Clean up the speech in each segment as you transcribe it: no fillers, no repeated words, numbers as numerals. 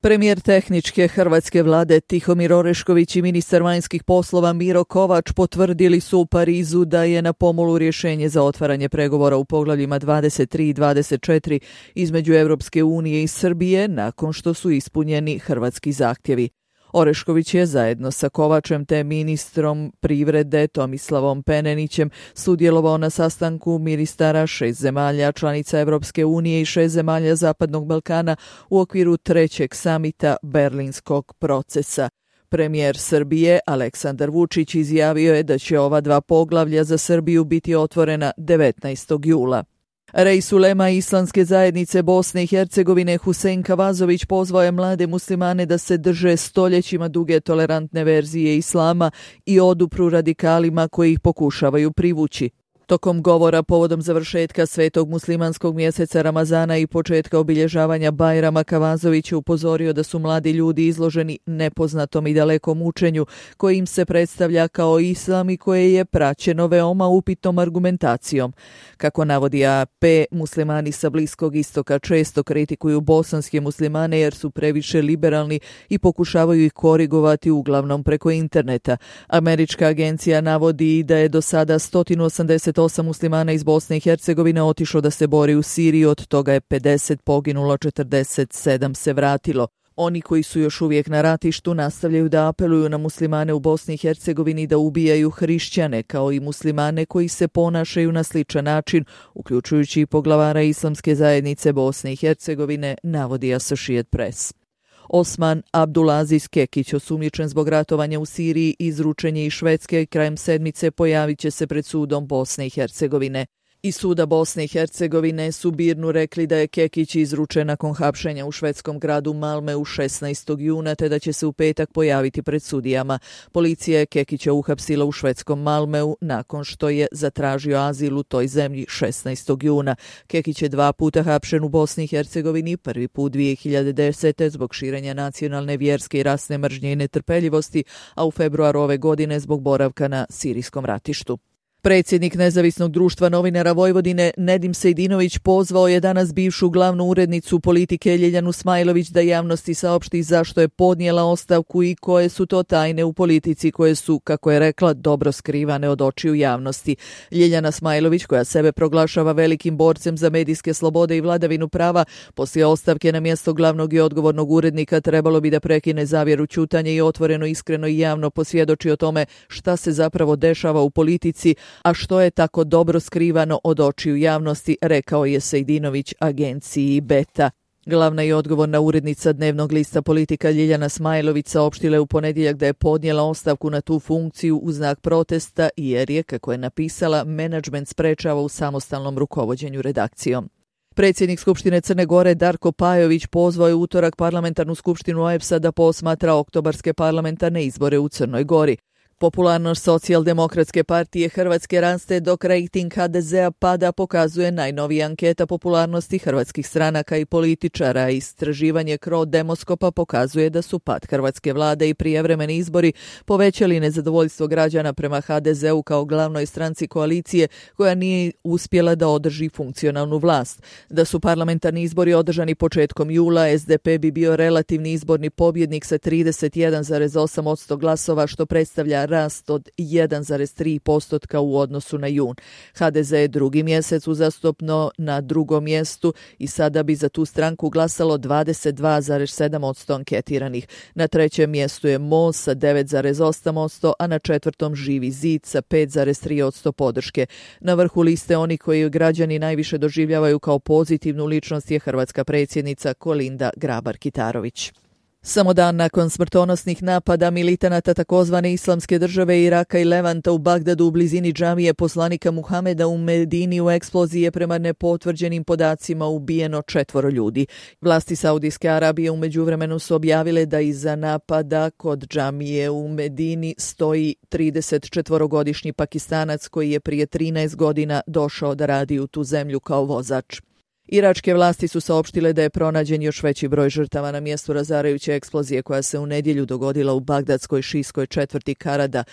Premijer tehničke hrvatske vlade Tihomir Orešković i ministar vanjskih poslova Miro Kovač potvrdili su u Parizu da je na pomolu rješenje za otvaranje pregovora u poglavljima 23 i 24 između Europske unije i Srbije nakon što su ispunjeni hrvatski zahtjevi. Orešković je zajedno sa Kovačem te ministrom privrede Tomislavom Penenićem sudjelovao na sastanku ministara 6 zemalja članica Europske unije i 6 zemalja Zapadnog Balkana u okviru trećeg samita Berlinskog procesa. Premijer Srbije Aleksandar Vučić izjavio je da će ova dva poglavlja za Srbiju biti otvorena 19. jula. Reis ulema Islamske zajednice Bosne i Hercegovine Husein Kavazović pozvao je mlade muslimane da se drže stoljećima duge tolerantne verzije islama i odupru radikalima koji ih pokušavaju privući. Tokom govora povodom završetka svetog muslimanskog mjeseca Ramazana i početka obilježavanja Bajrama, Kavazović je upozorio da su mladi ljudi izloženi nepoznatom i dalekom učenju koje im se predstavlja kao islam i koje je praćeno veoma upitnom argumentacijom. Kako navodi AP, muslimani sa Bliskog istoka često kritikuju bosanske muslimane jer su previše liberalni i pokušavaju ih korigovati uglavnom preko interneta. Američka agencija navodi da je do sada 188 muslimana iz Bosne i Hercegovine otišlo da se bori u Siriji, od toga je 50 poginulo, 47 se vratilo. Oni koji su još uvijek na ratištu nastavljaju da apeluju na muslimane u Bosni i Hercegovini da ubijaju hrišćane, kao i muslimane koji se ponašaju na sličan način, uključujući i poglavara Islamske zajednice Bosne i Hercegovine, navodi Associated Press. Osman Abdulaziz Kekić, osumnjičen zbog ratovanja u Siriji, izručen je iz Švedske, krajem sedmice pojavit će se pred sudom Bosne i Hercegovine. Iz suda Bosne i Hercegovine su BIRN-u rekli da je Kekić izručen nakon hapšenja u švedskom gradu Malmeu 16. juna, te da će se u petak pojaviti pred sudijama. Policija je Kekića uhapsila u švedskom Malmeu nakon što je zatražio azil u toj zemlji 16. juna. Kekić je 2 puta hapšen u Bosni i Hercegovini, prvi put 2010. zbog širenja nacionalne, vjerske i rasne mržnje i netrpeljivosti, a u februaru ove godine zbog boravka na sirijskom ratištu. Predsjednik Nezavisnog društva novinara Vojvodine Nedim Sejdinović pozvao je danas bivšu glavnu urednicu Politike Ljiljanu Smajlović da javnosti saopšti zašto je podnijela ostavku i koje su to tajne u politici koje su, kako je rekla, dobro skrivane od očiju javnosti. Ljiljana Smajlović, koja sebe proglašava velikim borcem za medijske slobode i vladavinu prava, poslije ostavke na mjesto glavnog i odgovornog urednika trebalo bi da prekine zavjeru ćutanja i otvoreno, iskreno i javno posvjedoči o tome šta se zapravo dešava u politici, a što je tako dobro skrivano od očiju javnosti, rekao je Sejdinović agenciji Beta. Glavna i odgovorna urednica dnevnog lista Politika Ljiljana Smajlović saopštila je u ponedjeljak da je podnijela ostavku na tu funkciju u znak protesta jer je, kako je napisala, menadžment sprečava u samostalnom rukovođenju redakcijom. Predsjednik Skupštine Crne Gore Darko Pajović pozvao je utorak parlamentarnu skupštinu OEBS-a da posmatra oktobarske parlamentarne izbore u Crnoj Gori. Popularnost Socijaldemokratske partije Hrvatske raste dok rejting HDZ-a pada, pokazuje najnovija anketa popularnosti hrvatskih stranaka i političara. Istraživanje Cro Demoskopa pokazuje da su pad hrvatske vlade i prijevremeni izbori povećali nezadovoljstvo građana prema HDZ-u kao glavnoj stranci koalicije koja nije uspjela da održi funkcionalnu vlast. Da su parlamentarni izbori održani početkom jula, SDP bi bio relativni izborni pobjednik sa 31,8% glasova, što predstavlja rast od 1,3% u odnosu na jun. HDZ je drugi mjesec uzastopno na drugom mjestu i sada bi za tu stranku glasalo 22,7% anketiranih. Na trećem mjestu je MOST sa 9,8%, a na četvrtom Živi zid sa 5,3% podrške. Na vrhu liste oni koji građani najviše doživljavaju kao pozitivnu ličnost je hrvatska predsjednica Kolinda Grabar-Kitarović. Samo dan nakon smrtonosnih napada militanata takozvane Islamske države Iraka i Levanta u Bagdadu u blizini džamije poslanika Muhameda u Medini u eksploziji je prema nepotvrđenim podacima ubijeno 4 ljudi. Vlasti Saudijske Arabije u međuvremenu su objavile da iza napada kod džamije u Medini stoji 34-godišnji Pakistanac koji je prije 13 godina došao da radi u tu zemlju kao vozač. Iračke vlasti su saopštile da je pronađen još veći broj žrtava na mjestu razarajuće eksplozije koja se u nedjelju dogodila u bagdadskoj šijskoj četvrti Karada.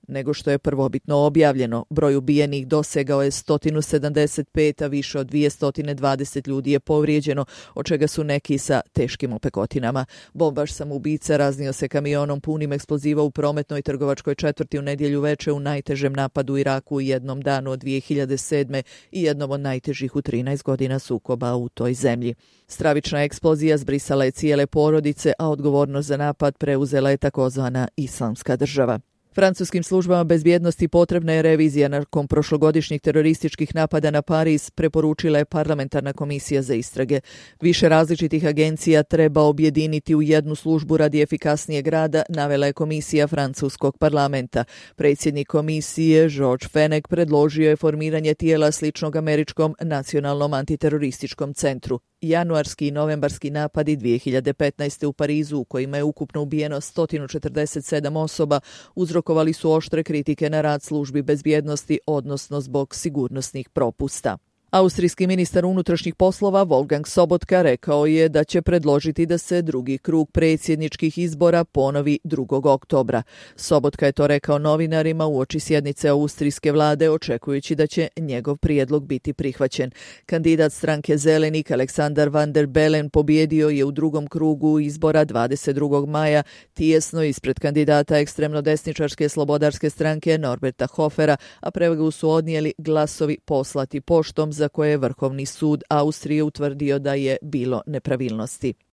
nego što je prvobitno objavljeno. Broj ubijenih dosegao je 175, a više od 220 ljudi je povrijeđeno, od čega su neki sa teškim opekotinama. Bombaš samoubica raznio se kamionom punim eksploziva u prometnoj trgovačkoj četvrti u nedjelju veče u najtežem napadu u Iraku u jednom danu od 2007. i jednom od najtežih u 13 godina sukoba u toj zemlji. Stravična eksplozija zbrisala je cijele porodice, a odgovornost za napad preuzela je takozvana Islamska država. Francuskim službama bezbjednosti potrebna je revizija nakon prošlogodišnjih terorističkih napada na Pariz, preporučila je parlamentarna komisija za istrage. Više različitih agencija treba objediniti u jednu službu radi efikasnijeg rada, navela je komisija francuskog parlamenta. Predsjednik komisije Georges Fenech predložio je formiranje tijela sličnog američkom nacionalnom antiterorističkom centru. Januarski i novembarski napadi 2015. u Parizu, u kojima je ukupno ubijeno 147 osoba, uzrokovali su oštre kritike na rad službi bezbjednosti, odnosno zbog sigurnosnih propusta. Austrijski ministar unutrašnjih poslova Wolfgang Sobotka rekao je da će predložiti da se drugi krug predsjedničkih izbora ponovi 2. oktobra. Sobotka je to rekao novinarima uoči sjednice austrijske vlade, očekujući da će njegov prijedlog biti prihvaćen. Kandidat stranke Zelenih Alexander van der Bellen pobijedio je u drugom krugu izbora 22. maja, tijesno ispred kandidata ekstremno desničarske slobodarske stranke Norberta Hofera, a prevagu su odnijeli glasovi poslati poštom za koje je Vrhovni sud Austrije utvrdio da je bilo nepravilnosti.